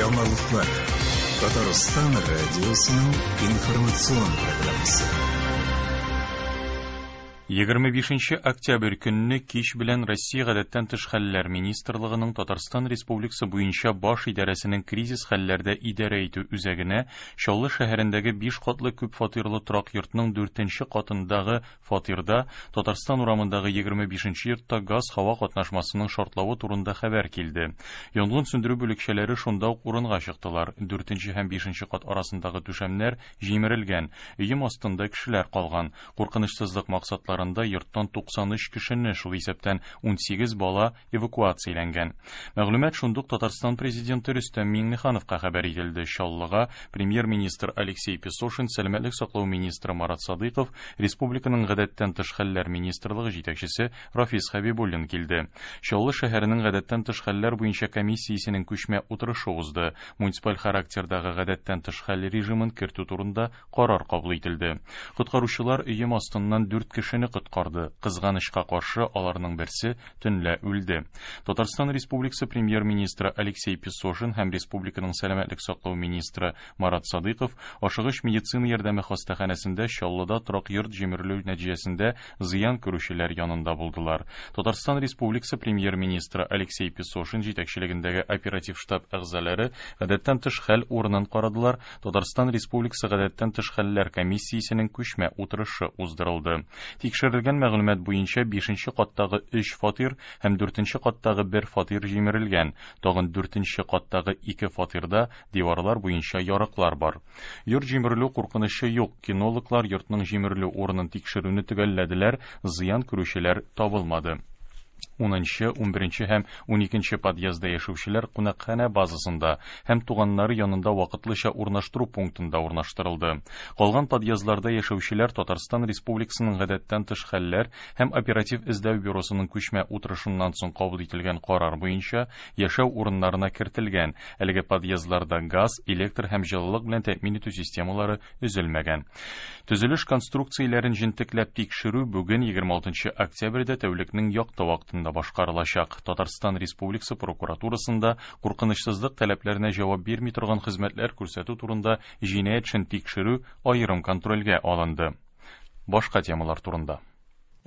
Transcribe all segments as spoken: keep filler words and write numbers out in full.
Яңалыклар. Татарстан радиосының информацион программасы. Егерме бишенче октябрь көнне кич белән Россия Гадәттән тыш хәлләр министрлыгының Татарстан Республикасы буенча баш идарәсенең кризис хәлләрдә идарә итү үзәгенә Чаллы шәһәрендәге биш катлы күп фатирлы торак йортның дүртенче катындагы фатирда Татарстан урамындагы егерме бишенче йортта газ һава катнашмасының шартлавы турында хәбәр килде. Янгын сүндерү бүлекчәләре шунда ук урынга чыктылар. Дүртенче һәм бишенче кат арасындагы түшәмнәр җимерелгән, өем астында кешеләр калган. Куркынычсызлык максатлары йорттан туксан өч кешене, шул исәптән ун сигез бала эвакуацияләнгән. Мәгълүмат шундук Татарстан президенты Рөстәм Миңнехановка хәбәр ителде. Чаллыга премьер-министр Алексей Песошин, сәламәтлек саклау министры Марат Садыйков, республиканың гадәттән тыш хәлләр министрлыгы җитәкчесе Рафис Хәбибуллин килде. Чаллы шәһәренең гадәттән тыш хәлләр буенча комиссиясенең күчмә утырышы узды. Муниципаль характердагы гадәттән тыш хәл режимын кертү турында карар кабул ителде. Коткаручылар өем астыннан дүрт кешене коткарды. Кызганычка каршы, аларның берсе төнлә үлде. Татарстан Республикасы премьер-министры Алексей Песошин һәм республиканың сәламәтлек саклау министры Марат Садыйков ашыгыч медицина ярдәме хастаханәсендә Чаллыда торак йорт җимерелү нәтиҗәсендә зыян күрүчеләр янында булдылар. Татарстан Республикасы премьер-министры Алексей Песошин җитәкчелегендәге оператив штаб әгъзалары гадәттән тыш хәл урынын карадылар. Татарстан Республикасы гадәттән тыш хәлләр комиссиясенең күчмә утырышы уздырылды. Тикшерелгән мәгълүмат буенча бишенче каттагы өч фатир һәм дүртенче каттагы бер фатир җимерелгән. Тагын дүртенче каттагы ике фатирда диварлар буенча ярыклар бар. Йорт җимерелү куркынычы юк. Кинологлар йортның җимерелү урынын тикшерүне төгәлләделәр, зыян күрүчеләр табылмады. Унынчы, унберенче һәм уникенче подъездда яшәүчеләр кунакханә базасында һәм туганнары янында вакытлыча урнаштыру пунктында урнаштырылды. Калган подъездларда яшәүчеләр Татарстан Республикасының гадәттән тыш хәлләр һәм оператив эзләү бюросының күчмә утырышыннан соң кабул ителгән карар буенча яшәү урыннарына кертелгән. Әлеге подъездларда газ, электр һәм җылылык белән тәэмин итү системалары өзелмәгән. Төзелеш конструкцияләрен җентекләп тикшерү бүген егерме алтынчы октябрьдә тәүлекнең якты вакытында башкарылачак. Татарстан Республикасы прокуратурасында куркынычсызлык таләпләренә җавап бирми торган хезмәтләр күрсәтү турында җинаять эшен тикшерү аерым контрольгә алынды. Башка темалар турында.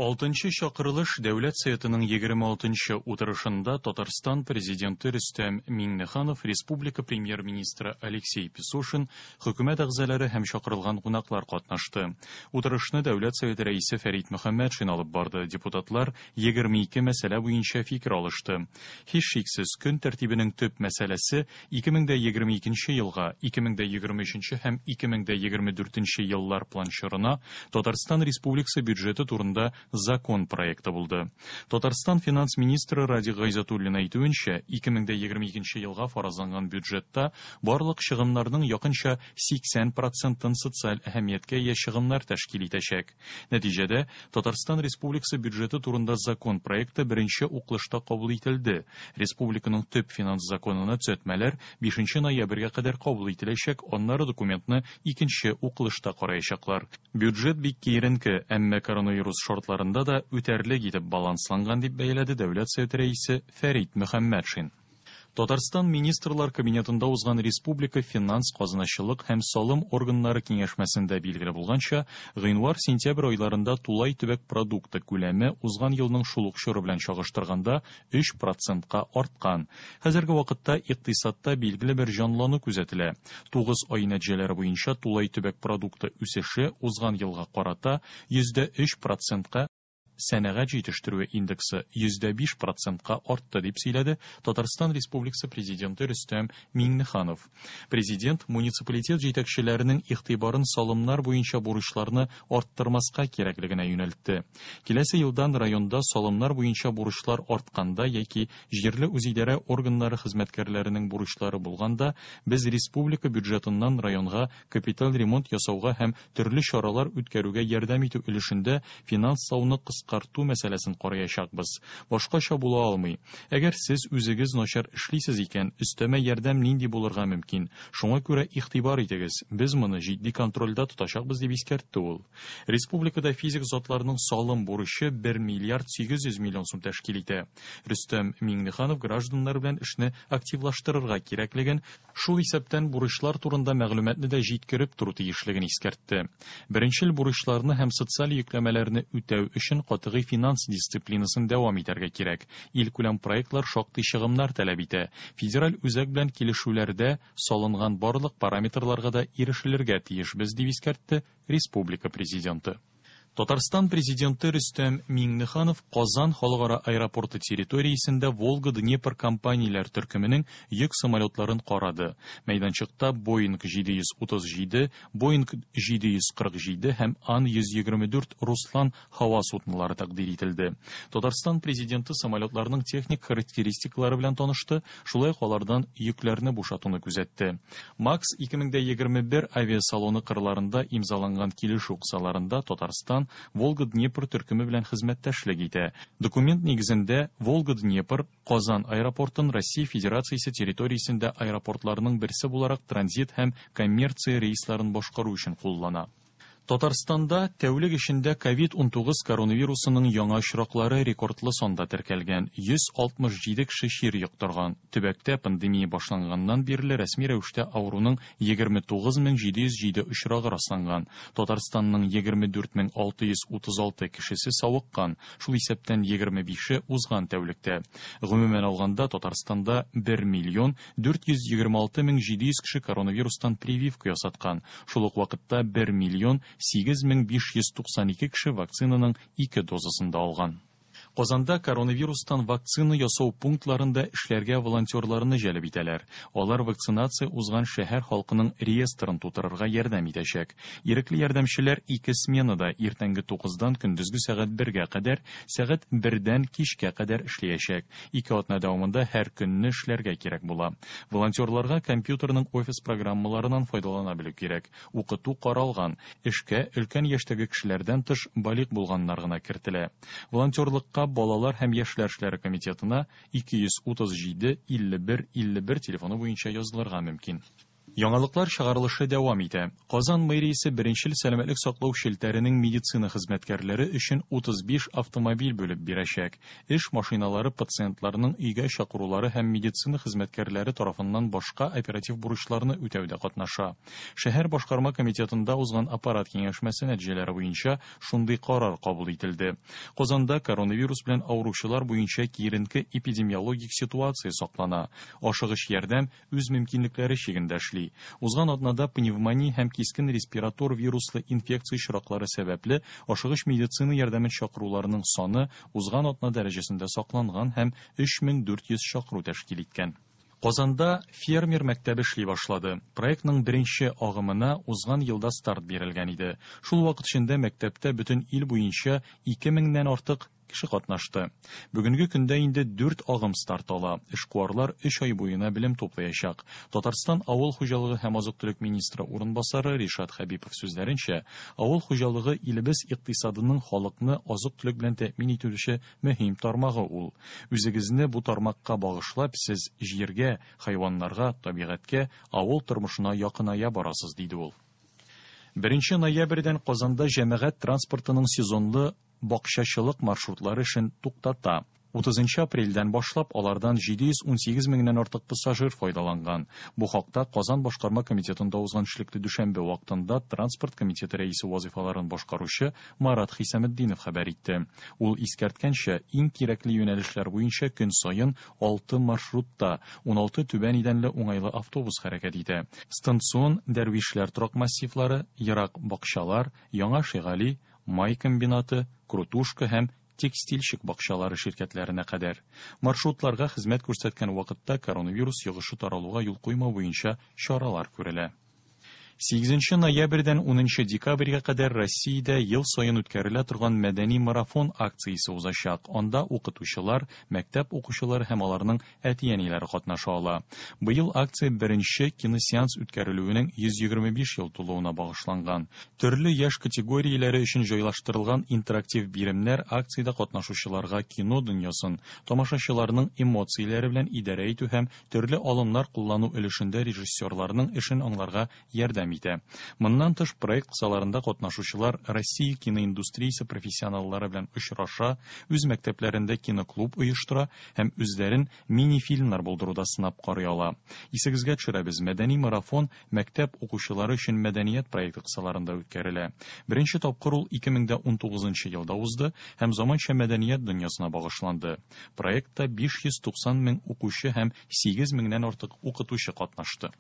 Алтынчы чакырылыш Дәүләт Советының егерме алтынчы утырышында Татарстан президенты Рөстәм Миңнеханов, республика премьер-министры Алексей Песошин, хөкүмәт әгъзалары һәм чакырылган кунаклар катнашты. Утырышны Дәүләт Советы рәисе Фәрит Мөхәммәтшин алып барды. Депутатлар егерме ике мәсьәлә буенча фикер алышты. Һичшиксез, көн тәртибенең төп мәсьәләсе ике мең дә егерме икенче елга, ике мең дә егерме өченче һәм ике мең дә егерме дүртенче еллар план чорына Татарстан Республикасы бюджеты турында закон проекты булды. Татарстан финанс министры Радик Гайзатуллин әйтүенчә, ике мең дә егерме икенче елга фаразланган бюджетта барлык чыгымнарның якынча сиксән процентын социаль әһәмияткә ия чыгымнар тәшкил итәчәк. Нәтиҗәдә, Татарстан Республикасы бюджеты турында закон проекты беренче укылышта кабул ителде. Республиканың төп финанс законына төзәтмәләр бишенче ноябрьгә кадәр кабул ителәчәк, аннары документны икенче укылышта караячаклар. Бюджет бик киеренке, әмма коронавирус шартларында да үтәрлек итеп балансланган дип бәяләде Дәүләт Советы рәисе Фәрит Мөхәммәтшин. Татарстан Министрлар Кабинетында узган Республика финанс, казыначылык һәм салым органнары киңәшмәсендә билгеле булганча, гыйнвар-сентябрь айларында тулай төбәк продукты күләме узган елның шул ук чоры белән чагыштырганда өч процентка арткан. Хәзерге вакытта икътисадта билгеле бер җанлану күзәтелә. Тугыз ай нәтиҗәләре буенча тулай төбәк продукты үсеше узган елга карата йөздә өч процентка, сәнәгать җитештерүе индексы йөздә биш процентка артты, дип сөйләде Татарстан Республикасы президенты Рөстәм Миңнеханов. Президент муниципалитет җитәкчеләренең игътибарын салымнар буенча бурычларны арттырмаска кирәклегенә юнәлтте. Киләсе елдан районда салымнар буенча бурычлар артканда яки җирле үзидарә органнары хезмәткәрләренең бурычлары булганда, без республика бюджетыннан районга капиталь ремонт ясауга һәм төрле чаралар үткәрүгә ярдәм итү өлешендә финанслауны кыска кыскарту мәсьәләсен караячакбыз. Башкача була алмый. Әгәр сез үзегез начар эшлисез икән, өстәмә ярдәм нинди булырга мөмкин? Шуңа күрә игътибар итегез. Без моны җитди контрольдә тотачакбыз, дип искәртте ул. Республикада физик затларның салым бурычы бер миллиард сигез йөз миллион сум тәшкил итә. Рөстәм Миңнеханов гражданнар белән эшне активлаштырырга кирәклеген, шул исәптән бурычлар турында мәгълүматны да җиткереп тору тиешлеген искәртте. Беренчел бурычларны һәм социаль йөкләмәләрне үтәү өчен катгый финанс дисциплинасын дәвам итәргә кирәк. Илкүләм проектлар шактый чыгымнар таләп итә. Федераль үзәк белән килешүләрдә салынган барлык параметрларга да ирешелергә тиешбез, дип искәртте республика президенты. Татарстан президенты Рөстәм Миңнеханов Казан халыкара аэропорты территориясендә Волга-Днепр компанияләр төркеменең йөк самолетларын карады. Мәйданчыкта Боинг җиде йөз утыз җиде, Боинг җиде йөз кырык җиде һәм Ан йөз егерме дүрт Руслан һава суднолары тәкъдир ителде. Татарстан президенты самолетларның техник характеристикалары белән танышты, шулай ук алардан йөкләрне бушатуны күзәтте. Макс ике мең дә егерме бер авиасалоны кырларында имзаланган килешү кысаларында Татарстан Волга-Днепр төркеме белән хезмәттәшлек итә. Документ нигезендә Волга-Днепр Казан аэропортын Россия Федерациясе территориясендә аэропортларның берсе буларак транзит һәм коммерция рейсларын башкару өчен куллана. Татарстанда тәүлек эчендә ковид унтугыз коронавирусының яңа очраклары рекордлы санда теркәлгән. Йөз алтмыш җиде кеше чир йоктырган. Төбәктә пандемия башланганнан бирле рәсми рәвештә авыруның егерме тугыз мең җиде йөз җиде очрагы расланган. Татарстанның егерме дүрт мең алты йөз утыз алты кешесе савыккан, шул исәптән егерме бише узган тәүлектә. Гомумән алганда Татарстанда бер миллион дүрт йөз егерме алты мең җиде йөз кеше коронавирустан прививка ясаткан. Шул ук вакытта бер миллион сигез мең биш йөз туксан ике кеше вакцинаның ике дозасын да алган. Казанда коронавирустан вакцина ясау пунктларында эшләргә волонтерларны җәлеп итәләр. Алар вакцинация узган шәһәр халкының реестрын тутырырга ярдәм итәчәк. Ирекле ярдәмчеләр ике сменада иртәнге тугыздан көндезге сәгать бергә кадәр, сәгать бердән кичкә кадәр эшләячәк. Ике атна дәвамында һәр көнне эшләргә кирәк була. Волонтерларга компьютерның офис программаларыннан файдалана белү кирәк. Укыту каралган. Эшкә өлкән яшьтәге кешеләрдән тыш балигъ булганнар гына кертелә. Волонтерлыкка Балалар һәм яшьләр эшләре комитетына ике йөз утыз җиде илле бер илле бер телефоны буенча язылырга мөмкин. Яңалыклар чыгарылышы дәвам итә. Казан мэриясе беренчел сәламәтлек саклау челтәренең медицина хезмәткәрләре өчен утыз биш автомобиль бүлеп бирәчәк. Эш машиналары пациентларның өйгә чакырулары һәм медицина хезмәткәрләре тарафыннан башка оператив бурычларны үтәүдә катнаша. Шәһәр башкарма комитетында узган аппарат киңәшмәсе нәтиҗәләре буенча шундый карар кабул ителде. Казанда коронавирус белән авыручылар буенча киеренке эпидемиологик ситуация саклана. Ашыгыч ярдәм үз мөмкинлекләре чигендә эшли. Узган атнада пневмония һәм кискен респиратор вируслы инфекция очраклары сәбәпле ашыгыч медицина ярдәмен чакыруларының саны узган атна дәрәҗәсендә сакланган һәм өч мең дүрт йөз чакыру тәшкил иткән. Казанда фермер мәктәбе эшли башлады. Проектның беренче агымына узган елда старт бирелгән иде. Шул вакыт эчендә мәктәптә бөтен ил буенча ике меңнән артык кеше катнашты. Бүгенге көндә инде дүрт агым старт ала. Эшкуарлар өч ай буена белем туплаячак. Татарстан авыл хуҗалыгы һәм азык-төлек министры урынбасары Ришат Хәбипов сүзләренчә, авыл хуҗалыгы илебез икътисадының халыкны азык-төлек белән тәэмин итүче мөһим тармагы ул. Үзегезне бу тармакка багышлап, сез җиргә, хайваннарга, табигатькә, авыл тормышына якыная барасыз, диде ул. Беренче ноябрьдән Казанда җәмәгать транспортының сезонлы бакчачылык маршрутлары эшен туктата. Утызынчы апрельдән башлап алардан җиде йөз унсигез меңнән артык пассажир файдаланган. Бу хакта Казан башкарма комитетында узган эшлекле дүшәмбе вакытында транспорт комитеты рәисе вазифаларын башкаручы Марат Хисаметдинов хәбәр итте. Ул искәрткәнчә, иң кирәкле юнәлешләр буенча көн саен алты маршрутта уналты түбән идәнле уңайлы автобус хәрәкәт итә. Станцион Дәрвишләр торак массивлары, ерак бакчалар, Яңа Шигали, Май комбинаты, Крутушка һәм текстильщик бакчалары ширкәтләренә кадәр. Маршрутларга хезмәт күрсәткән вакытта коронавирус йогышы таралуга юл куймау буенча чаралар күрелә. Сигезенче ноябрьдән унынчы декабрьгә кадәр Россиядә ел саен үткәрелә торган мәдәни марафон акциясе узачак. Анда укытучылар, мәктәп укучылары һәм аларның әти-әниләре катнаша ала. Быел акция беренче киносеанс үткәрелүенең йөз егерме биш ел тулуына багышланган. Төрле яшь категорияләре өчен җайлаштырылган интерактив биремнәр акциядә катнашучыларга кино дөньясын, тамашачыларның эмоцияләре белән идарә итү һәм төрле алымнар куллану өлешендә режиссерларның эшен аңларга ярдәм итә. Моннан тыш, проект кысаларында катнашучылар Россия киноиндустриясе профессионаллары белән очраша, үз мәктәпләрендә киноклуб оештыра һәм үзләрен мини-фильмнар булдыруда сынап карый ала. Исегезгә төшерәбез, мәдәни марафон мәктәп укучылары өчен мәдәният проекты кысаларында үткәрелә. Беренче тапкыр ул ике мең дә унтугызынчы елда узды һәм заманча мәдәният дөньясына багышланды. Проектта биш йөз туксан мең укучы һәм сигез меңнән артык укытучы катнашты.